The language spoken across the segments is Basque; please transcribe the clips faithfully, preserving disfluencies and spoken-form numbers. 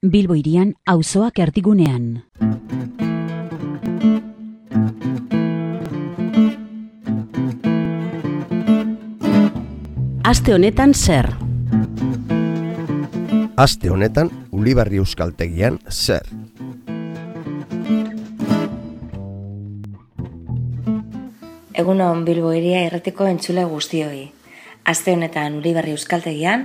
Bilbo hirian auzoak erdigunean. Aste honetan zer? Aste honetan Ulibarri Euskaltegian zer? Egunon Bilbo hiria irratiko entzule guztioi. Aste honetan Ulibarri Euskaltegian,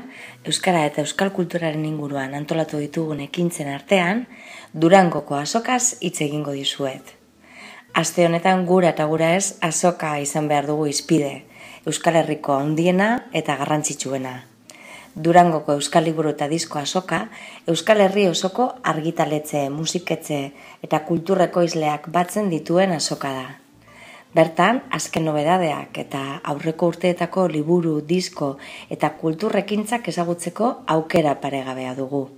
euskara eta euskal kulturaren inguruan antolatu ditugun ekintzen artean, Durangoko azokaz hitz egingo dizuet. Aste honetan gura eta gura ez azoka izan behar dugu hizpide, Euskal Herriko handiena eta garrantzitsuena. Durangoko Euskal Liburu eta Disko azoka, Euskal Herri osoko argitaletxe, musiketxe eta kulturreko izleak batzen dituen azoka da. Bertan, azken nobedadeak eta aurreko urteetako liburu, disko eta kulturrekintzak ezagutzeko aukera paregabea dugu.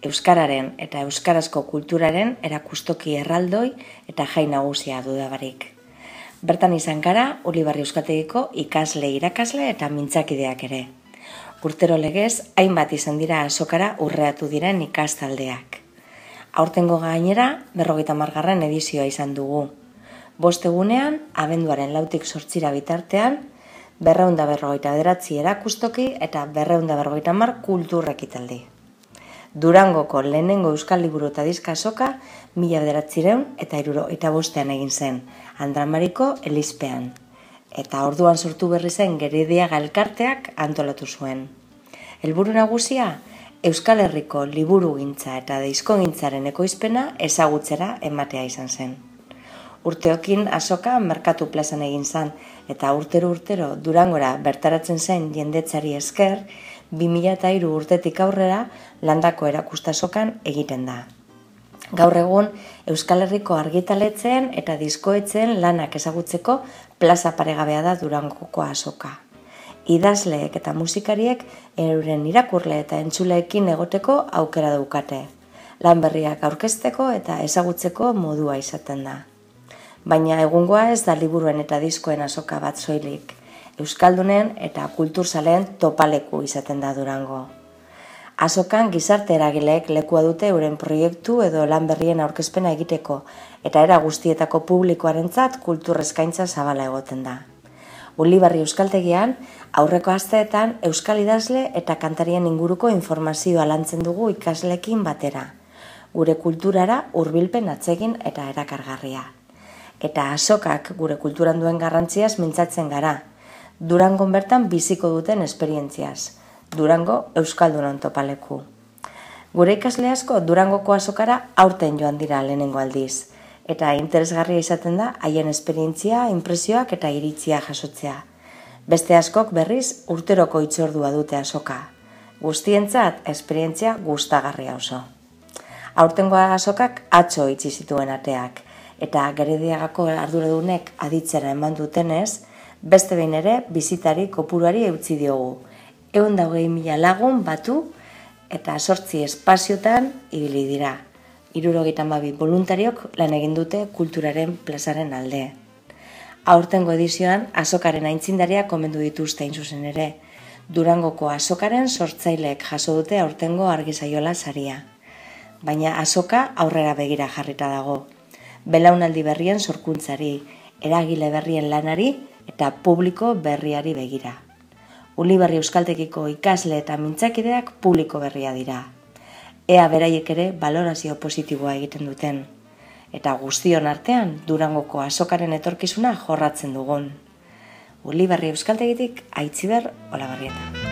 Euskararen eta euskarazko kulturaren erakustoki erraldoi eta jai nagusia dudabarik. Bertan izan gara, Ulibarri Euskaltegiko ikasle, irakasle eta mintzakideak ere. Urtero legez, hainbat izan dira azokara urreatu diren ikastaldeak. Aurtengo gainera, berrogeita hamargarren edizioa izan dugu. Bost egunean, abenduaren lautik zortzira bitartean, berreunda berrogeita bederatzi erakustoki eta berreunda berrogeita hamar kulturrekitaldi. Durangoko lehenengo Euskal Liburu eta Diska azoka mila bederatziehun eta hirurogeita bostean egin zen, Andramariko Elizpean. Eta orduan sortu berri zen Gerediaga elkarteak antolatu zuen. Helburu nagusia, Euskal Herriko liburugintza eta diskogintzaren ekoizpena ezagutzera ematea izan zen. Urteokin azoka merkatu plazan egin zen, eta urtero-urtero Durangora bertaratzen zen jendetzari esker, bi mila hiru urtetik aurrera landako erakustazokan egiten da. Gaur egun, Euskal Herriko argitaletzen eta diskoetzen lanak ezagutzeko plaza paregabea da Durangoko azoka. Idazleek eta musikariek euren irakurle eta entzuleekin egoteko aukera daukate. Lan berriak aurkezteko eta ezagutzeko modua izaten da. Baina egungoa ez da liburuen eta diskoen azoka bat soilik. Euskaldunen eta kulturzaleen topaleku izaten da Durango. Azokan gizarte eragileek lekua dute euren proiektu edo lan berrien aurkezpena egiteko, eta era guztietako publikoarentzat kultur eskaintza zabala egoten da. Ulibarri Euskaltegian, aurreko asteetan euskal idazle eta kantarien inguruko informazioa lantzen dugu ikasleekin batera. Gure kulturara hurbilpen atsegin eta erakargarria. Eta azokak gure kulturan duen garrantziaz mintzatzen gara. Durangon bertan biziko duten esperientziaz. Durango Euskaldunon topaleku. Gure ikasle asko Durangoko azokara aurten joan dira lehenengo aldiz. Eta interesgarria izaten da haien esperientzia, inpresioak eta iritzia jasotzea. Beste askok berriz urteroko hitzordua dute azoka. Guztientzat esperientzia gustagarria oso. Aurtengo azokak atzo itxi zituen ateak. Eta Gerediagako arduradunek aditzera eman dutenez, beste behin ere bizitari kopuruari eutzi diogu. Ehun eta hogei mila lagun batu eta zortzi espaziotan ibili dira. Hirurogeita hamabi boluntariok lan egin dute kulturaren plazaren alde. Aurtengo edizioan azokaren aitzindariak komendu dituzte hain zuzen ere. Durangoko azokaren sortzaileek jaso dute aurtengo argizaiola saria. Baina azoka aurrera begira jarrita dago. Belaunaldi berrien sorkuntzari, eragile berrien lanari eta publiko berriari begira. Ulibarri Euskaltegiko ikasle eta mintzakideak publiko berria dira. Ea beraiek ere balorazio positiboa egiten duten. Eta guztion artean Durangoko azokaren etorkizuna jorratzen dugun. Ulibarri Euskaltegitik Aitziber Olabarrieta.